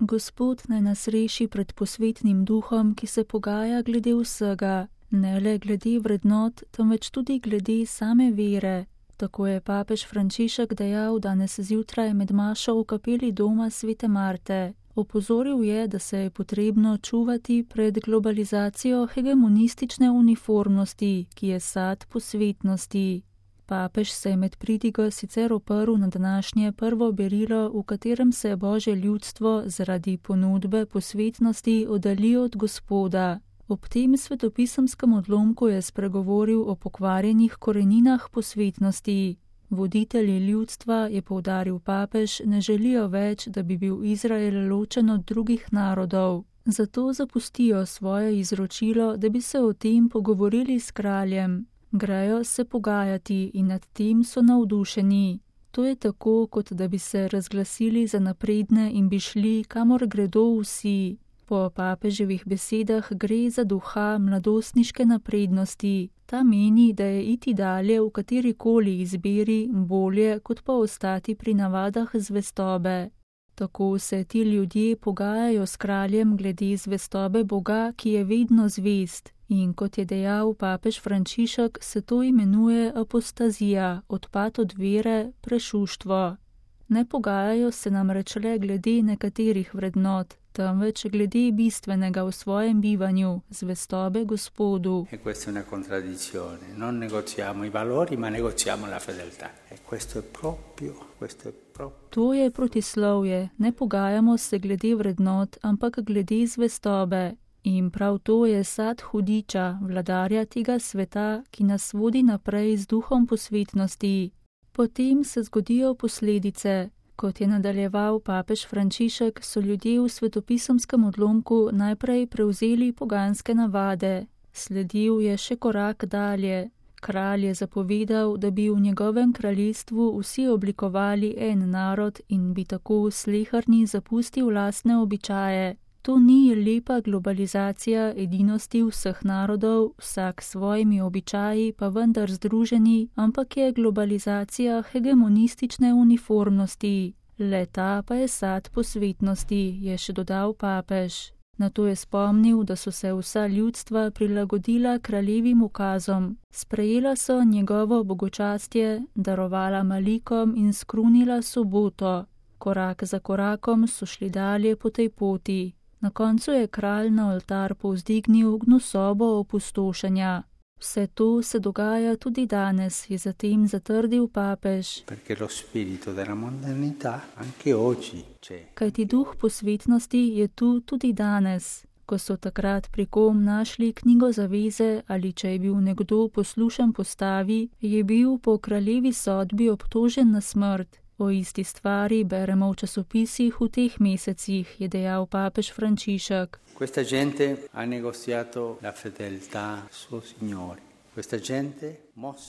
Gospod naj nas reši pred posvetnim duhom, ki se pogaja glede vsega, ne le glede vrednot, temveč tudi glede same vere. Tako je papež Frančišek dejal danes zjutraj med mašo v kapeli doma svete Marte. Opozoril je, da se je potrebno čuvati pred globalizacijo hegemonistične uniformnosti, ki je sad posvetnosti. Papež se je med pridigo sicer oprl na današnje prvo berilo, v katerem se Božje ljudstvo zaradi ponudbe posvetnosti oddalji od Gospoda. Ob tem svetopisemskem odlomku je spregovoril o pokvarjenih koreninah posvetnosti. Voditelji ljudstva, je poudaril papež, ne želijo več, da bi bil Izrael ločen od drugih narodov. Zato zapustijo svoje izročilo, da bi se o tem pogovorili s kraljem. Grejo se pogajati in nad tem so navdušeni. To je tako, kot da bi se razglasili za napredne in bi šli, kamor gredo vsi. Po papeževih besedah gre za duha mladostniške naprednosti. Ta meni, da je iti dalje v katerikoli izbiri bolje, kot pa ostati pri navadah zvestobe. Tako se ti ljudje pogajajo s kraljem glede zvestobe Boga, ki je vedno zvest. In kot je dejal papež Frančišek, se to imenuje apostazija, odpad od vere, prešuštvo. Ne pogajajo se namreč le glede nekaterih vrednot, temveč glede bistvenega v svojem bivanju, zvestobe Gospodu. To je protislovje, ne pogajamo se glede vrednot, ampak glede zvestobe. In prav to je sad hudiča, vladarja tega sveta, ki nas vodi naprej z duhom posvetnosti. Potem se zgodijo posledice. Kot je nadaljeval papež Frančišek, so ljudje v svetopisemskem odlomku najprej prevzeli poganske navade. Sledil je še korak dalje. Kralj je zapovedal, da bi v njegovem kraljestvu vsi oblikovali en narod in bi tako sleherni zapustil lastne običaje. To ni lepa globalizacija edinosti vseh narodov, vsak s svojimi običaji pa vendar združeni, ampak je globalizacija hegemonistične uniformnosti. Le-ta pa je sad posvetnosti, je še dodal papež. Nato je spomnil, da so se vsa ljudstva prilagodila kraljevim ukazom. Sprejela so njegovo bogočastje, darovala malikom in skrunila soboto. Korak za korakom so šli dalje po tej poti. Na koncu je kralj na oltar povzdignil gnusobo opustošenja. Vse to se dogaja tudi danes, je zatem zatrdil papež. Kajti duh posvetnosti je tu tudi danes. Ko so takrat pri kom našli knjigo zaveze ali če je bil nekdo poslušen postavi, je bil po kraljevi sodbi obtožen na smrt. O isti stvari beremo v časopisih v teh mesecih, je dejal papež Frančišek.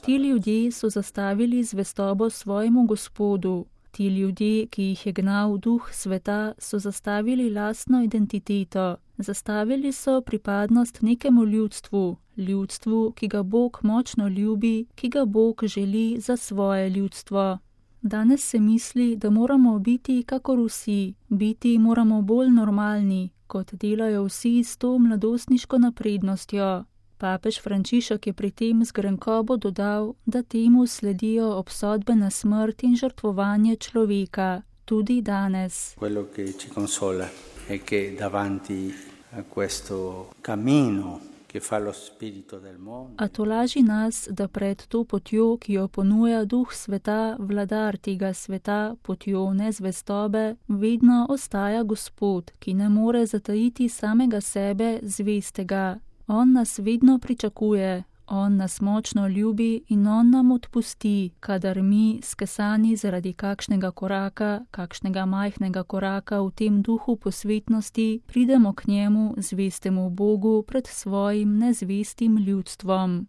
Ti ljudje so zastavili zvestobo svojemu Gospodu. Ti ljudje, ki jih je gnal duh sveta, so zastavili lastno identiteto. Zastavili so pripadnost nekemu ljudstvu, ljudstvu, ki ga Bog močno ljubi, ki ga Bog želi za svoje ljudstvo. Danes se misli, da moramo biti kakor vsi, biti moramo bolj normalni, kot delajo vsi s to mladostniško naprednostjo. Papež Frančišek je pri tem z grenkobo dodal, da temu sledijo obsodbe na smrt in žrtvovanje človeka, tudi danes. Quello che ci consola è che davanti a questo cammino A tolaži nas, da pred to potjo, ki jo ponuja duh sveta, vladar tega sveta, potjo nezvestobe, vedno ostaja Gospod, ki ne more zatajiti samega sebe zvestega. On nas vedno pričakuje, on nas močno ljubi in on nam odpusti, kadar mi, skesani zaradi kakšnega majhnega koraka v tem duhu posvetnosti, pridemo k njemu, zvestemu Bogu, pred svojim nezvestim ljudstvom.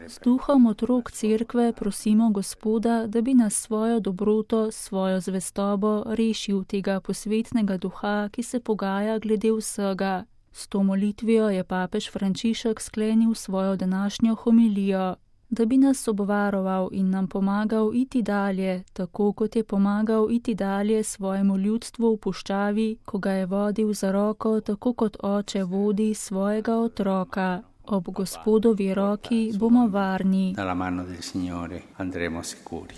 S duhom otrok cerkve prosimo Gospoda, da bi nas svojo dobroto, svojo zvestobo rešil tega posvetnega duha, ki se pogaja glede vsega. S to molitvijo je papež Frančišek sklenil svojo današnjo homilijo. da bi nas obvaroval in nam pomagal iti dalje, tako kot je pomagal iti dalje svojemu ljudstvu v puščavi, ko ga je vodil za roko, tako kot oče vodi svojega otroka. Ob Gospodovi roki bomo varni. Dalla mano del Signore andremo sicuri.